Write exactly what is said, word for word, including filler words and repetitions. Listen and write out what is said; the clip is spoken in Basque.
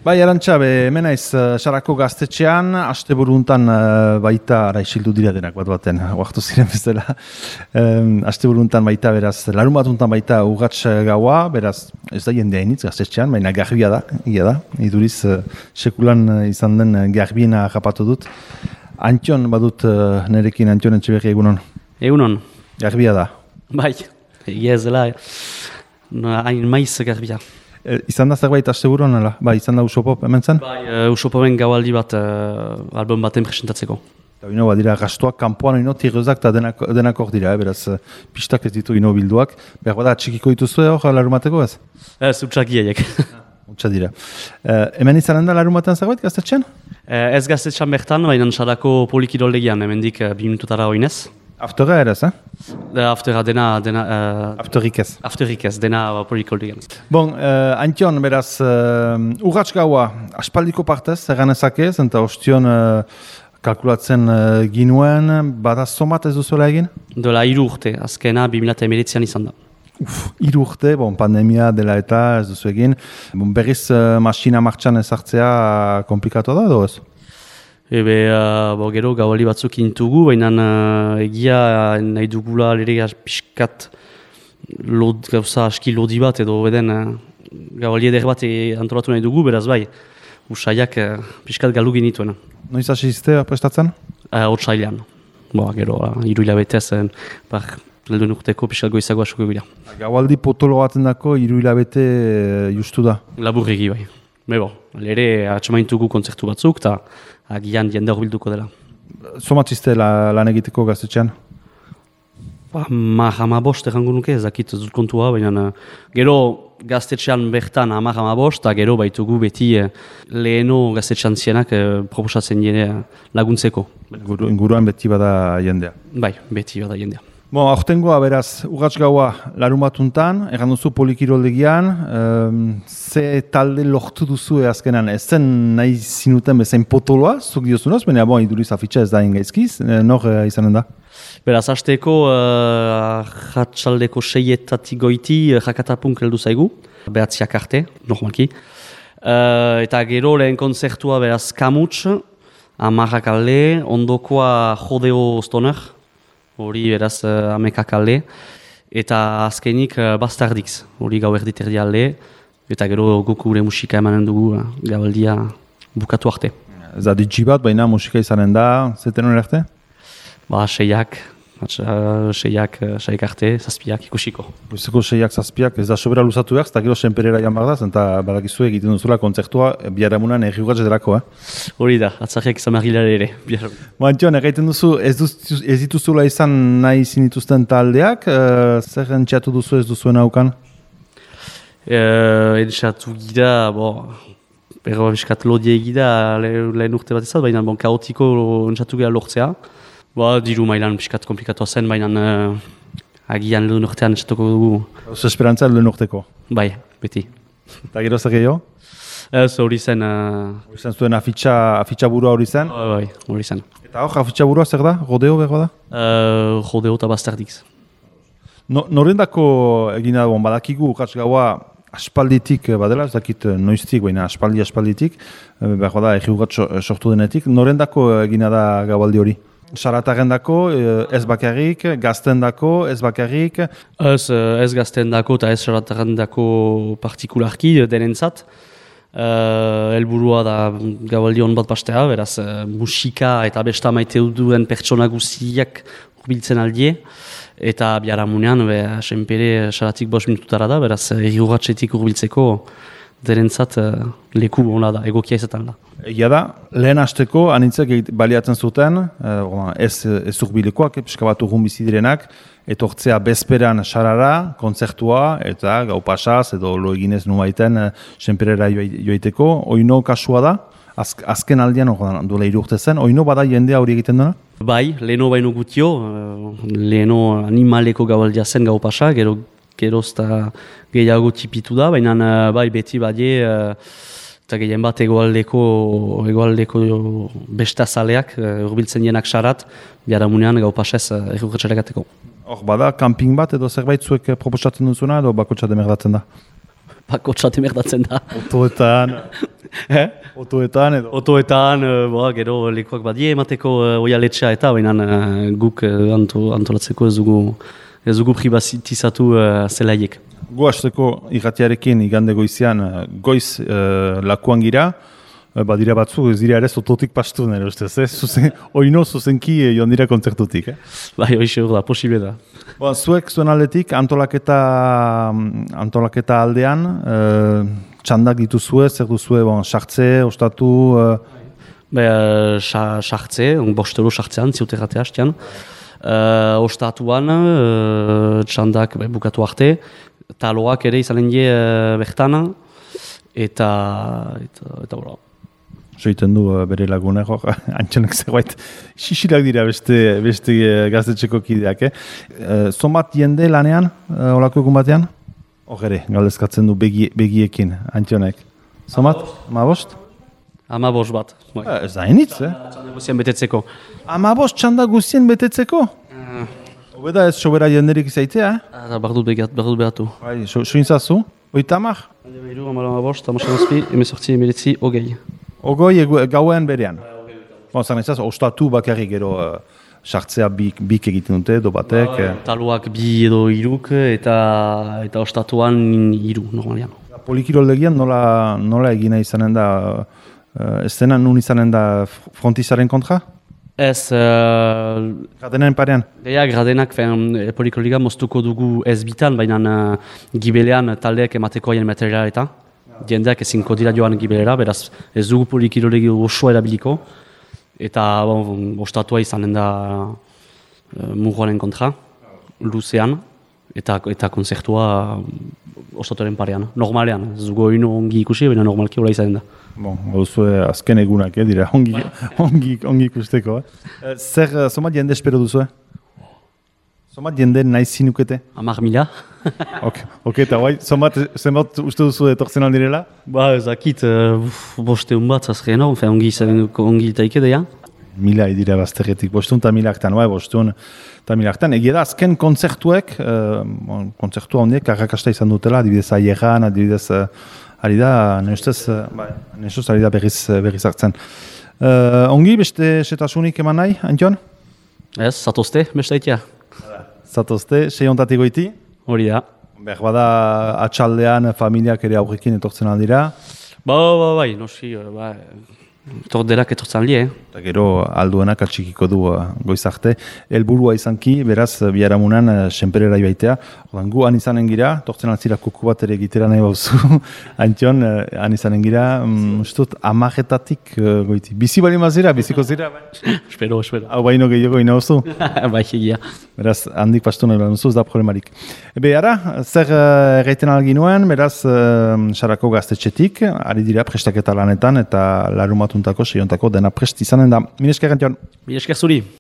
Bai, Arantxa, hemen naiz Sarako gaztetxean, asteburuntan baita, ara isildu dira denak bat baten, oartu ziren bezala, um, asteburuntan baita, beraz, larun batuntan baita urratx gaua, beraz, ez da jendea initz gaztetxean, baina garbia da, ia da, iduriz sekulan izan den garbiena rapatu dut. Antion badut nerekin, Antion Etxeberri, egunon? Egunon. Garbia da? Bai, egia ez dela, hain maiz garbia. E, izan da zerbait asteburuan, ala? Bai, izan da Usopop hemen zen? Bai, uh, Usopopen gaualdi bat uh, album baten presentatzeko. Eta ino, badira, gastuak, kanpoan ino, tirrezak eta denak, denak hor dira, eh? Beraz, pistak ez ditu ino bilduak. Behar bada, txikiko dituzu hor, larumateko ez? Ez, utxakiaiek. Utsa dira. E, hemen izanen da larumaten zerbait, gaztetxean? Uh, ez gaztetxan bertan, baina Sarako polikidoldegian, hemendik uh, bi minututara oinez. Aftera ere ez, eh? Aftera dena... dena uh, Afterik ez. Afterik ez, dena polikidoldegian. Bon, uh, Antion, beraz, uh, urratx gaua, aspaldiko partez, erganezakez, eta ostion uh, kalkulatzen uh, ginuen, bada somat ez duzuela egin? Dola hiru urte, azkena bi mila emeretzian izan da. Uf, hiru urte, bon, pandemia dela eta ez duzu egin. Bon, berriz uh, masina martxan ezartzea uh, komplikatu da, edo ez? Ebe, uh, bo, gero gaualdi batzuk intugu, baina uh, egia nahi dugula lere pixkat lod, gauza aski lodi bat edo beden uh, gaualdi eder bat antolatu nahi dugu, beraz bai, usaiak uh, pixkat galu genituen. Noiz hasi izte prestatzen? Uh, Otsailean. Bo, gero, uh, hiru hilabetez, uh, par helduen urteko pixkat goizago asuko bila. Gaualdi potolo baten dako hiru hilabete uh, justu da? Laburregi bai. Bebo, lere atxamaintugu kontzertu batzuk, eta agian jende horbilduko dela. Somatzizte la, lan egiteko gaztetxean? Ba, hamar hamabost errango nuke, ez dakit ez dut kontua, baina gero gaztetxean bertan hamar hamabost, eta gero baitugu beti eh, leheno gaztetxean zienak eh, proposatzen jende laguntzeko. Inguru, inguruan beti bada jendea? Bai, beti bada jendea. Bon, aurtengoa beraz, urratx gaua larun batuntan, erran duzu polikiroldegian, um, ze talde lortu duzu azkenan, ez zen nahi zinuten bezain potoloa, zuk diozunaz, baina bon, iduriz afitxa ez da ingaizkiz, nor uh, izanen da? Beraz, hasteko uh, jatsaldeko seietatik goiti uh, jakatapunk heldu zaigu, behatziak arte, normalki. Uh, eta gero lehen konzertua beraz kamuts, amarrak alde, ondokoa jodeo stoner, hori beraz uh, amekak alde, eta azkenik uh, bastardix, hori gau erditerdi alde, eta gero guk gure musika emanen dugu uh, gaualdia bukatu arte. Zadi bat, baina musika izanen da, zeten hori arte? Ba, seiak, uh, seiak, uh, seiak arte, zazpiak ikusiko. Goizeko seiak zazpiak, ez da sobera luzatu behar, eta gero senperera jan behar da, eta badakizu egiten duzula kontzertua biharamunan erriugatz edarako, eh? Hori da, atzarriak izan behar ere. Antion, egiten duzu, ez, duz, ez dituzula izan nahi zinituzten taldeak, uh, zer entxeatu duzu ez duzuen haukan? Uh, entxeatu gira, bo, berro miskat lodie gira lehen urte bat ezat, baina bon, kaotiko entxeatu gira lortzea. Ba, diru mailan piskat komplikatoa zen, baina uh, agian lehen urtean entxatuko dugu. Oso esperantza lehen urteko? Bai, beti. Eta gero zer gehiago? Ez, hori zen... Uh... Hori zen zuen afitxa, afitxa burua hori zen? Bai, bai, hori zen. Eta hor, afitxa burua zer da? Rodeo behar da? Uh, rodeo eta bastardix. No, norendako egina dagoen, badakigu ukatz gaua aspalditik badela, ez dakit noiztik, baina aspaldi aspalditik, behar da, egi ugatz sortu denetik, norendako egina da gaualdi hori? Saratarrendako, ez bakarrik, gaztendako, ez bakarrik? Ez, ez gaztendako eta ez saratarrendako partikularki denentzat. Uh, elburua da gaualdi hon bat pastea, beraz uh, musika eta besta maite duen pertsona guziak urbiltzen aldie. Eta biharamunean, be, senpere saratik bost minututara da, beraz erriuratxetik urbiltzeko derentzat uh, leku hona da, egokia izaten da. Egia da, lehen hasteko anitzek baliatzen zuten, uh, ez, ez urbilekoak, pixka bat urrun bizidirenak, etortzea bezperan sarara, kontzertua, eta gau pasaz, edo lo eginez nubaiten uh, senperera joiteko. Oino kasua da, az, azken aldean, oh, duela hiru urte zen, oino bada jendea hori egiten dena? Bai, leheno baino gutio, uh, leheno animaleko gaualdia zen gau pasa, gero gerozta gehiago tipitu da, baina uh, bai beti badie, uh, eta gehien bat egoaldeko, egoaldeko bestazaleak, uh, urbiltzen jenak sarat, biharamunean gau pasez uh, erruketxarekateko. Hor, bada, camping bat edo zerbait zuek proposatzen duzuna edo bakotxa demerdatzen da? Bakotxa demerdatzen da. Autoetan, Eh? Otoetan edo. Otoetan, uh, boa, gero lekuak badie emateko uh, oialetxea eta baina uh, guk uh, anto, antolatzeko ez dugu, ez dugu pribatizatu uh, zelaiek. Gu hasteko irratiarekin igande goizean uh, goiz uh, lakuan gira, uh, badira batzu ez dira ere ototik pastu nire ustez, eh? Zuzen, oino zuzenki eh, joan dira kontzertutik. Eh? Bai, hoxe hor da, posible da. Bon, zuek zuen aldetik antolaketa, antolaketa aldean, uh, txandak dituzue, zer duzue, bon, sartze, ostatu... Uh... Be, sartze, uh, bostero sartzean, ziuterratea hastean. Uh, ostatuan, uh, txandak be, bukatu arte, taloak ere izanen die uh, bertana, eta... eta, eta bora. Soiten du uh, bere lagunak, hor, antxonek zerbait, xixilak dira beste, beste uh, gaztetxeko kideak, eh? Uh, Zonbat jende lanean, uh, olako egun batean? Hor ere, galdezkatzen du begi, begiekin, antxonek. Zonbat? Amabost? Amabost bat. Uh, ez da enitz, eh? Txanda guzien betetzeko. Amabost txanda guzien betetzeko? Uh. Obeda ez sobera jenderik izaitea, eh? Eta bardut behatu. Bai, so, sointzazu? Oita amak? Hande behiru, amala amabost, amasan azpi, emezortzi, emeletzi, ogei. Ogoi egu, gauen berean? Bon, zan ezaz, ostatu bakarrik gero sartzea uh, bik, bik egiten dute, do batek. Ba, taluak bi edo iruk eta eta ostatuan iru, normalian. Polikiroldegian nola, nola egina izanen da, uh, ez dena nun izanen da frontizaren kontra? Ez... Uh, Gradenen parean? Deia, gradenak, polikiroldiga moztuko dugu ez bitan, baina uh, gibelean taldeak emateko haien materiala eta. Jendeak ezinko dira joan gibelera, beraz ez dugu polikirolegi osoa erabiliko. Eta bon, ostatua izanen da uh, murroaren kontra, luzean, eta, eta konzertua ostatuaren parean, normalean. Ez dugu hori ongi ikusi, baina normalki hola izanen da. Bon, gauzue azken egunak, eh, dira, ongi, ongi, ongi ikusteko. Eh? Zer, zomat jende espero duzu, eh? Zomat jende nahi zinukete? Amar mila. Ok, ok, eta guai, zomat, zenbat uste duzu etortzen aldirela? Ba, ezakit, uh, boste un bat zazkeena, ongi izanen ongi itaike deia. Mila idira bazterretik, bostun eta milaktan, bai, bostun eta milaktan. Egia da, azken kontzertuek, uh, bon, kontzertua hondiek, arrakasta izan dutela, adibidez aieran, adibidez, uh, ari da, nestez, uh, bai, nestez, ari da berriz, berriz hartzen. Uh, ongi, beste setasunik eman nahi, Antion? Ez, zatozte, bestaitea. Zatozte, seiontatik goiti? Hori da. Behar bada, atxaldean, familiak ere aurrekin etortzen aldira. Ba, ba, bai, noski, ba, torderak etortzen lie, eh? Eta gero alduenak atxikiko du uh, goizarte. Helburua izanki, beraz, biharamunan uh, senperera ibaitea. Odan, gu han izanen gira, tortzen altzira kuku bat ere egitera nahi bauzu. Antion, uh, han izanen gira, um, ustut, amajetatik uh, goiti. Bizi bali mazira, biziko zira, bai? espero, espero. Hau baino gehiago ina oso. bai, egia. Beraz, handik pastu nahi behar ez da problemarik. Ebe, ara, zer uh, erraiten algin nuen, beraz, uh, sarako gaztetxetik, ari dira prestaketa lanetan, eta larumatuntako, seiontako, dena prest izanen da. Mil esker, Antion. Mil esker zuri.